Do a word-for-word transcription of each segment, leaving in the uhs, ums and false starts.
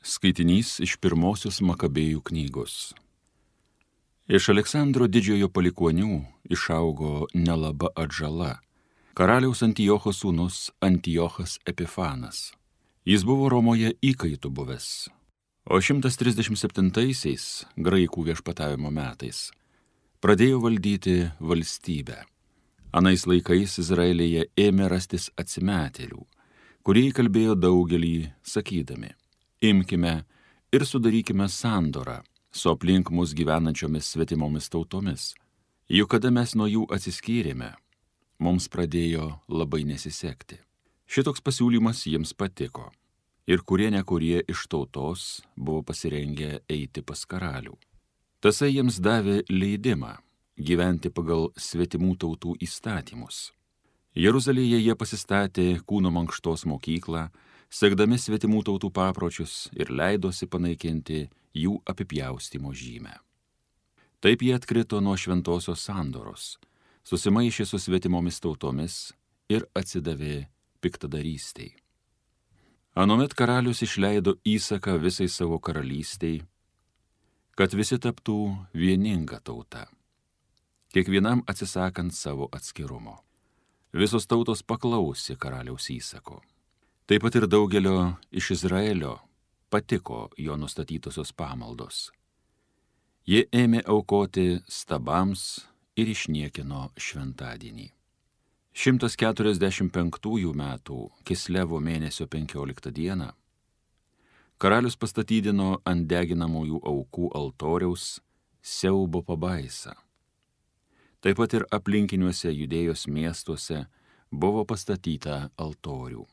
Skaitinys iš pirmosios Makabėjų knygos. Iš Aleksandro didžiojo palikuonių išaugo nelaba atžala, karaliaus Antiocho sūnus Antiochas Epifanas. Jis buvo Romoje įkaitų buvęs, o šimtas trisdešimt septintaisiais graikų viešpatavimo metais pradėjo valdyti valstybę. Anais laikais Izraelyje ėmė rastis atsimetėlių, kurie įkalbėjo daugelį, sakydami: imkime ir sudarykime sandorą su aplink mus gyvenančiomis svetimomis tautomis. Juk kada mes nuo jų atsiskyrėme, mums pradėjo labai nesisekti. Šitoks pasiūlymas jiems patiko, ir kurie nekurie iš tautos buvo pasirengę eiti pas karalių. Tasai jiems davė leidimą gyventi pagal svetimų tautų įstatymus. Jeruzalėje jie pasistatė kūno mankštos mokyklą, sekdami svetimų tautų papročius, ir leidosi panaikinti jų apipjaustymo žymę. Taip jie atkrito nuo šventosios sandoros, susimaišė su svetimomis tautomis ir atsidavė piktadarystei. Anuomet karalius išleido įsaką visai savo karalystei, kad visi taptų vieninga tauta, kiekvienam atsisakant savo atskirumo. Visos tautos paklausė karaliaus įsako. Taip pat ir daugelio iš Izraelio patiko jo nustatytosios pamaldos. Jie ėmė aukoti stabams ir išniekino šventadienį. šimtas keturiasdešimt penktųjų metų Kislevo mėnesio penkioliktą dieną karalius pastatydino ant deginamųjų aukų altoriaus siaubo pabaisą. Taip pat ir aplinkiniuose Judėjos miestuose buvo pastatyta altorių.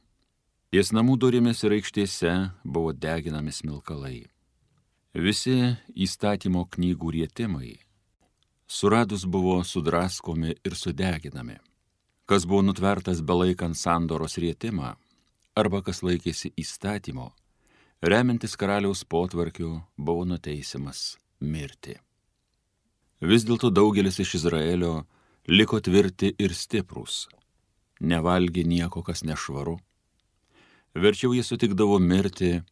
Ties namų durimis ir aikštėse buvo deginami smilkalai. Visi įstatymo knygų rietimai suradus buvo sudraskomi ir sudeginami. Kas buvo nutvertas belaikant sandoros rietimą, arba kas laikėsi įstatymo, remiantis karaliaus potvarkiu, buvo nuteisiamas mirti. Vis dėlto daugelis iš Izraelio liko tvirti ir stiprūs, nevalgė nieko, kas nešvaru. Verčiau jie sutikdavo mirti,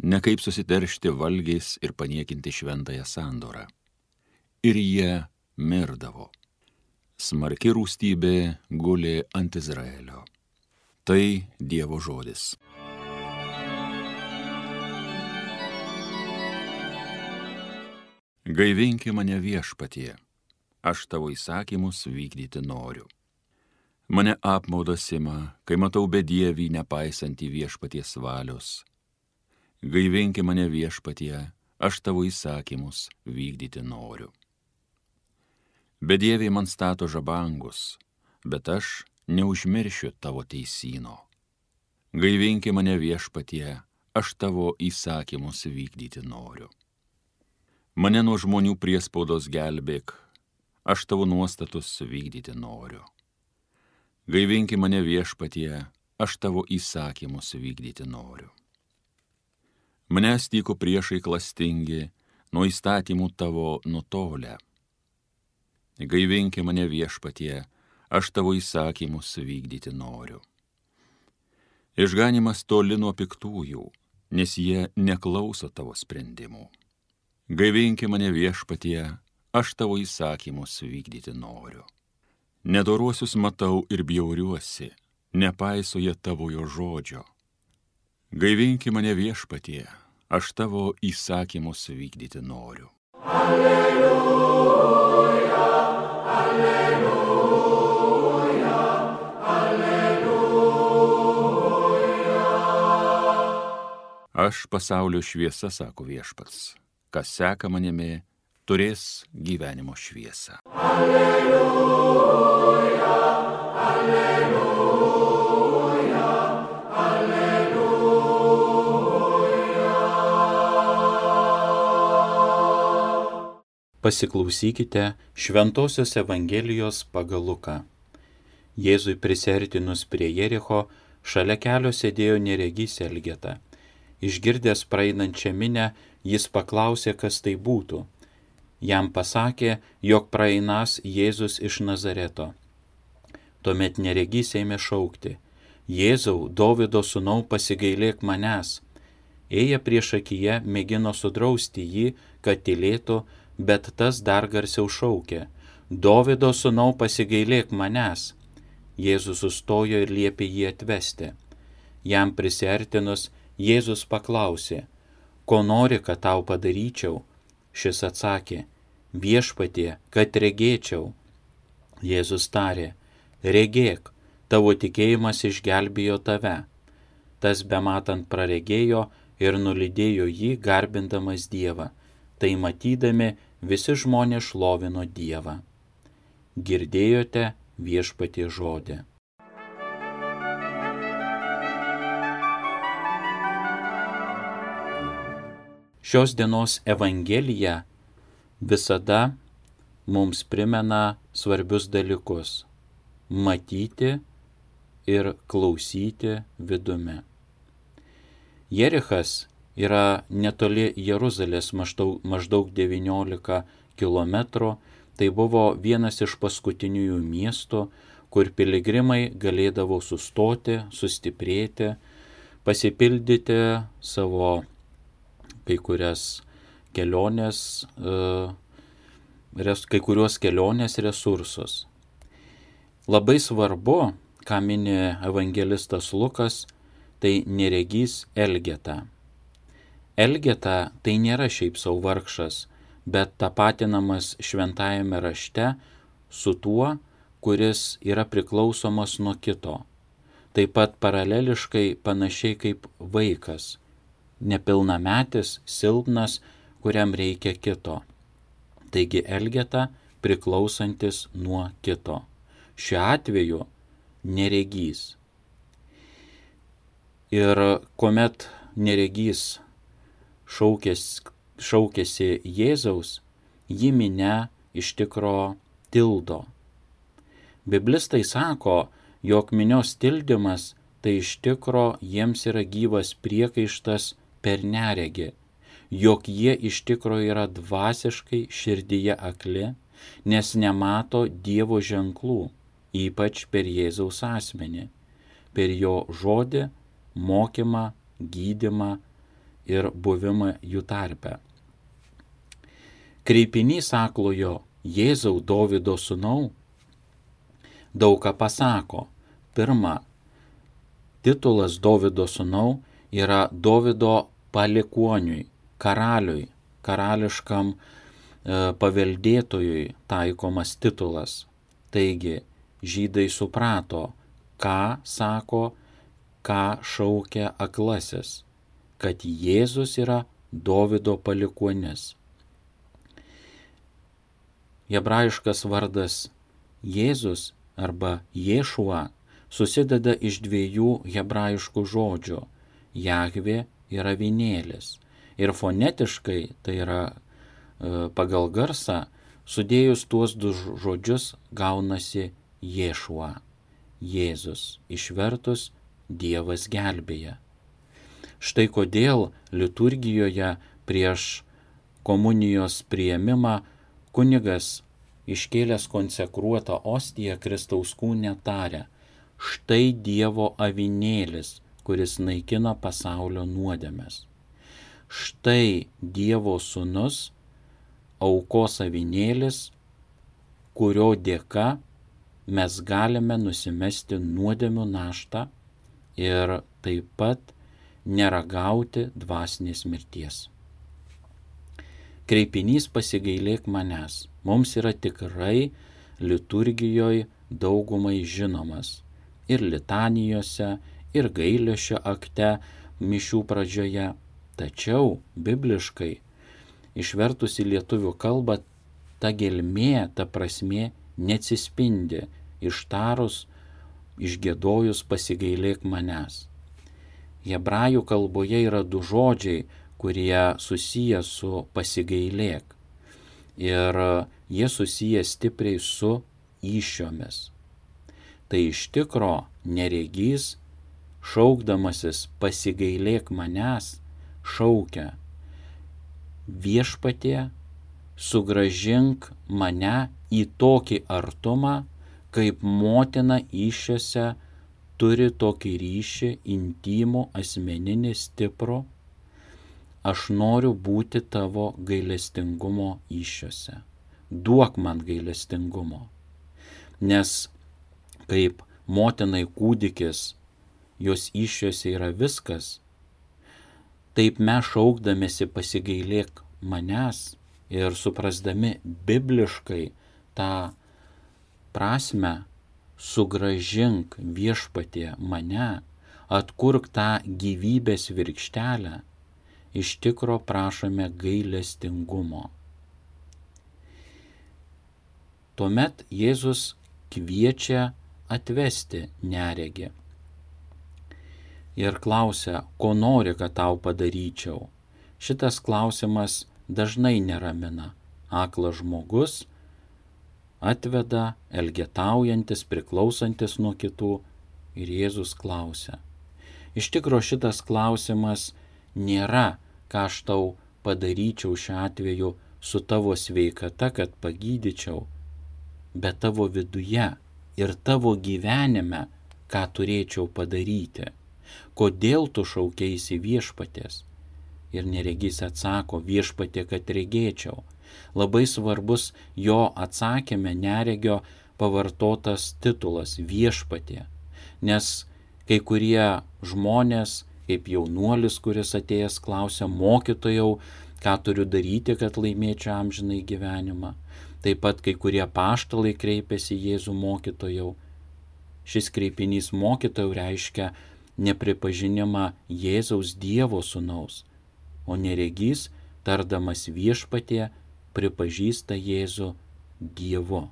ne kaip susiteršti valgiais ir paniekinti šventąją sandorą. Ir jie mirdavo. Smarki rūstybė gulė ant Izraelio. Tai Dievo žodis. Gaivinki mane viešpatie, aš tavo įsakymus vykdyti noriu. Mane apmaudas ima, kai matau bedievį nepaisantį viešpaties valios. Gaivinki mane viešpatie, aš tavo įsakymus vykdyti noriu. Bedieviai man stato žabangus, bet aš neužmiršiu tavo teisyno. Gaivinki mane viešpatie, aš tavo įsakymus vykdyti noriu. Mane nuo žmonių priespaudos gelbėk, aš tavo nuostatus vykdyti noriu. Gaivinki mane viešpatie, aš tavo įsakymus vykdyti noriu. Manęs tyko priešai klastingi, nuo įstatymų tavo nutolę. Gaivinki mane viešpatie, aš tavo įsakymus vykdyti noriu. Išganimas toli nuo piktųjų, nes jie neklauso tavo sprendimų. Gaivinki mane viešpatie, aš tavo įsakymus vykdyti noriu. Nedoruosius matau ir bjauriuosi, nepaiso jie tavojo žodžio. Gaivinki mane viešpatie, aš tavo įsakymus vykdyti noriu. Alleluja, alleluja, alleluja. Aš pasaulio šviesa, sako viešpats, kas seka manimi, turės gyvenimo šviesą. Alleluja, alleluja, alleluja. Pasiklausykite Šventosios Evangelijos pagal Luką. Jėzui prisiartinus prie Jericho, šalia kelio sėdėjo neregys Elgeta. Išgirdęs praeinančią minią, jis paklausė, kas tai būtų. Jam pasakė, jog praeinas Jėzus iš Nazareto. Tuomet neregys ėmė šaukti: Jėzau, Dovydo sūnau, pasigailėk manęs. Ėję priešakyje mėgino sudrausti jį, kad tylėtų, bet tas dar garsiau šaukė: Dovido sūnau, pasigailėk manęs. Jėzus sustojo ir liepė jį atvesti. Jam prisiartinus, Jėzus paklausė: Ko nori, kad tau padaryčiau? Šis atsakė: Viešpatie, kad regėčiau. Jėzus tarė: Regėk, tavo tikėjimas išgelbėjo tave. Tas bematant praregėjo ir nulydėjo jį, garbindamas Dievą. Tai matydami visi žmonės šlovino Dievą. Girdėjote Viešpatie žodį. Šios dienos Evangelija visada mums primena svarbius dalykus – matyti ir klausyti vidumi. Jerichas yra netoli Jeruzalės, maždaug, maždaug devyniolika kilometrų. Tai buvo vienas iš paskutiniųjų miestų, kur piligrimai galėdavo sustoti, sustiprėti, pasipildyti savo kai kurias kelionės, kai kuriuos kelionės resursus. Labai svarbu, ką mini evangelistas Lukas, tai neregys Elgeta. Elgeta tai nėra šiaip sau vargšas, bet tapatinamas šventajame rašte su tuo, kuris yra priklausomas nuo kito. Taip pat paraleliškai panašiai kaip vaikas, nepilnametis, silpnas, kuriam reikia kito. Taigi Elgeta priklausantis nuo kito. Šiuo atveju neregys. Ir kuomet neregys šaukės, šaukėsi Jėzaus, jį minia iš tikro tildo. Biblistai sako, jog minios tildymas tai iš tikro jiems yra gyvas priekaištas per neregį, jog jie iš tikro yra dvasiškai širdyje akli, nes nemato Dievo ženklų, ypač per Jėzaus asmenį, per jo žodį, mokymą, gydymą ir buvimą jų tarpe. Kreipinys aklojo Jėzau, Dovido sūnau daug ką pasako. Pirma, titulas Dovido sūnau yra Dovido palikuoniui, karaliui, karališkam e, paveldėtojui taikomas titulas. Taigi, žydai suprato, ką sako, ką šaukia aklasis, kad Jėzus yra Dovido palikuonis. Hebrajiškas vardas Jėzus arba Ješua susideda iš dviejų hebrajiškų žodžių. Jahvė yra avinėlis. Ir fonetiškai, tai yra e, pagal garsą, sudėjus tuos du žodžius gaunasi Ješua, Jėzus, išvertus Dievas gelbėja. Štai kodėl liturgijoje prieš komunijos priėmimą kunigas iškėlęs konsekruotą ostiją Kristaus kūne taria: štai Dievo avinėlis, kuris naikina pasaulio nuodėmes. Štai Dievo sūnus, aukos avinėlis, kurio dėka mes galime nusimesti nuodėmių naštą ir taip pat neragauti dvasinės mirties. Kreipinys pasigailėk manęs mums yra tikrai liturgijoje daugumai žinomas ir litanijose, ir gailesčio akte mišių pradžioje, tačiau bibliškai išvertus į lietuvių kalbą ta gelmė, ta prasmė neatsispindi ištarus, išgiedojus pasigailėk manęs. Hebrajų kalboje yra du žodžiai, kurie susiję su pasigailėk. Ir jie susiję stipriai su įsčiomis. Tai iš tikro neregys, šaukdamasis pasigailėk manęs, šaukia: Viešpatie, sugrąžink mane į tokį artumą, kaip motina įsčiose turi tokį ryšį intimų, asmeninį, stiprų, aš noriu būti tavo gailestingumo įsčiose. Duok man gailestingumo. Nes kaip motinai kūdikis, jos įsčiose yra viskas, taip mes šaukdamėsi pasigailėk manęs ir suprasdami bibliškai tą prasme, sugražink Viešpatie mane, atkurk tą gyvybės virkštelę, iš tikro prašome gailestingumo. Tuomet Jėzus kviečia atvesti neregį ir klausia, ko nori, kad tau padaryčiau. Šitas klausimas dažnai neramina. Aklas žmogus atveda, elgetaujantis, priklausantis nuo kitų, ir Jėzus klausia. Iš tikro šitas klausimas nėra, ką aš tau padaryčiau šiuo atveju su tavo sveikata, kad pagydyčiau, bet tavo viduje ir tavo gyvenime, ką turėčiau padaryti. Kodėl tu šaukeisi Viešpaties? Ir neregys atsako, Viešpatie, kad regėčiau. Labai svarbus jo atsakyme neregio pavartotas titulas Viešpatie, nes kai kurie žmonės, kaip jaunuolis, kuris atėjęs klausia, mokytojau, ką turiu daryti, kad laimėčiau amžinai gyvenimą. Taip pat kai kurie apaštalai kreipiasi Jėzų mokytojau. Šis kreipinys mokytojau reiškia nepripažinimą Jėzaus Dievo sūnaus, o neregys, tardamas Viešpatie, pripažįsta Jėzų Dievu,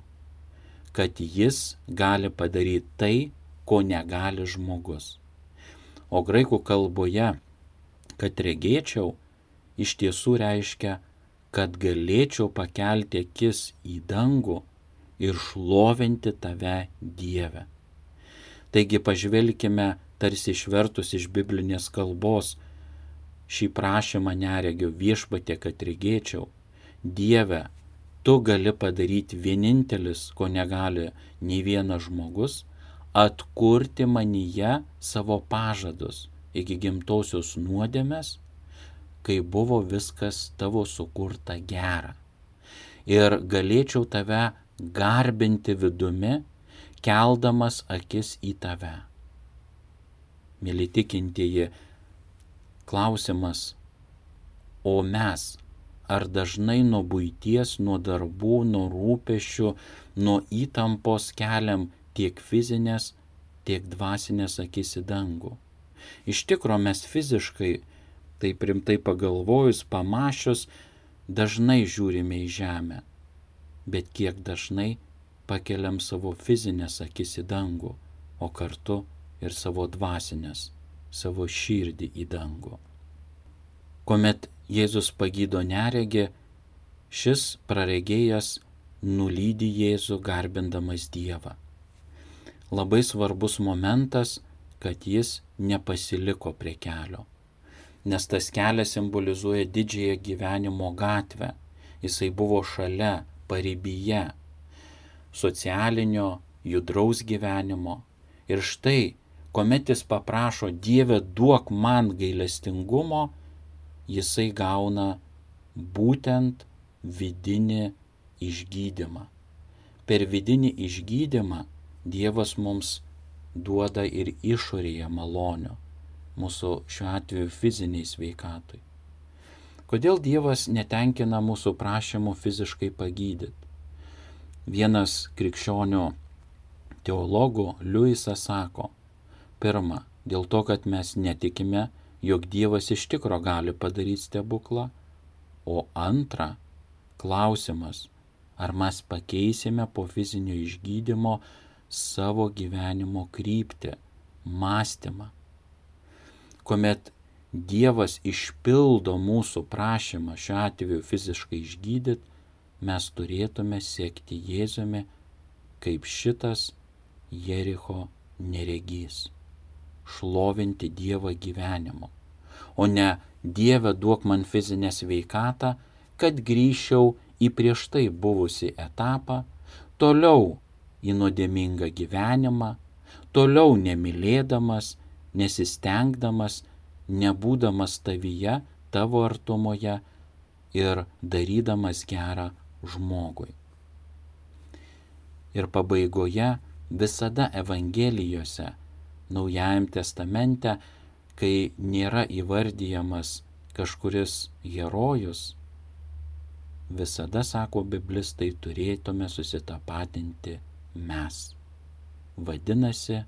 kad jis gali padaryti tai, ko negali žmogus. O graikų kalboje, kad regėčiau, iš tiesų reiškia, kad galėčiau pakelti akis į dangų ir šlovinti tave, Dieve. Taigi pažvelkime, tarsi išvertus iš biblinės kalbos, šį prašymą neregio Viešpatie, kad regėčiau. Dieve, tu gali padaryti vienintelis, ko negali nei vienas žmogus, atkurti manyje savo pažadus iki gimtosios nuodėmės, kai buvo viskas tavo sukurta gera. Ir galėčiau tave garbinti vidumi, keldamas akis į tave. Mėly tikintieji, klausimas, o mes, ar dažnai nuo buities, nuo darbų, nuo rūpesčių, nuo įtampos keliam tiek fizinės, tiek dvasinės akis į dangų? Iš tikro mes fiziškai, taip rimtai pagalvojus, pamačius, dažnai žiūrime į žemę, bet kiek dažnai pakeliam savo fizinės akis į dangų, o kartu ir savo dvasinės, savo širdį į dangų. Kuomet Jėzus pagydo neregį, šis praregėjas nulydi Jėzų garbindamas Dievą. Labai svarbus momentas, kad jis nepasiliko prie kelio, nes tas kelias simbolizuoja didžiąją gyvenimo gatvę. Jisai buvo šalia, paribyje, socialinio, judraus gyvenimo. Ir štai, kuomet jis paprašo, Dieve, duok man gailestingumo, jisai gauna būtent vidinį išgydymą. Per vidinį išgydymą Dievas mums duoda ir išorėje malonių, mūsų šiuo atveju fiziniai sveikatui. Kodėl Dievas netenkina mūsų prašymų fiziškai pagydyti? Vienas krikščionių teologų, Liujisas, sako, pirma, dėl to, kad mes netikime, jog Dievas iš tikro gali padaryti stebuklą, o antra, klausimas, ar mes pakeisime po fizinio išgydymo savo gyvenimo kryptį, mąstymą. Kuomet Dievas išpildo mūsų prašymą, šiuo atveju fiziškai išgydyti, mes turėtume sekti Jėzumi kaip šitas Jericho neregys, šlovinti Dievą gyvenimu, o ne Dieve duok man fizinę sveikatą, kad grįžčiau į prieš tai buvusi etapą, toliau į nuodėmingą gyvenimą, toliau nemylėdamas, nesistengdamas, nebūdamas tavyje, tavo artumoje ir darydamas gerą žmogui. Ir pabaigoje visada Evangelijose, Naujajam testamente, kai nėra įvardyjamas kažkuris herojus, visada, sako biblistai, turėtume susitapatinti mes. Vadinasi,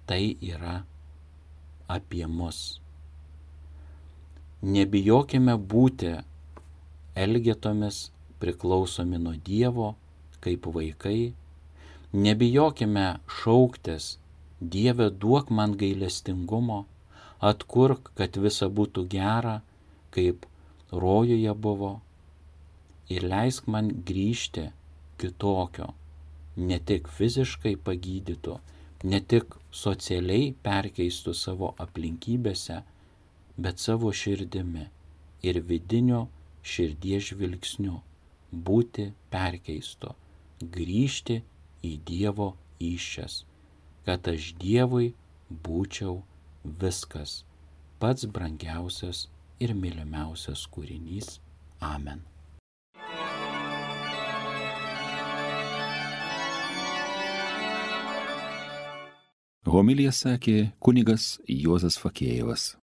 tai yra apie mus. Nebijokime būti elgetomis priklausomi nuo Dievo kaip vaikai. Nebijokime šauktis: Dieve, duok man gailestingumo, atkurk, kad visa būtų gera, kaip rojuje buvo, ir leisk man grįžti kitokio, ne tik fiziškai pagydytų, ne tik socialiai perkeistų savo aplinkybėse, bet savo širdimi ir vidinio širdies žvilgsniu būti perkeisto, grįžti į Dievo įsčias, kad aš Dievui būčiau viskas, pats brangiausias ir mylimiausias kūrinys. Amen. Homiliją sakė kunigas Juozas Fakėjevas.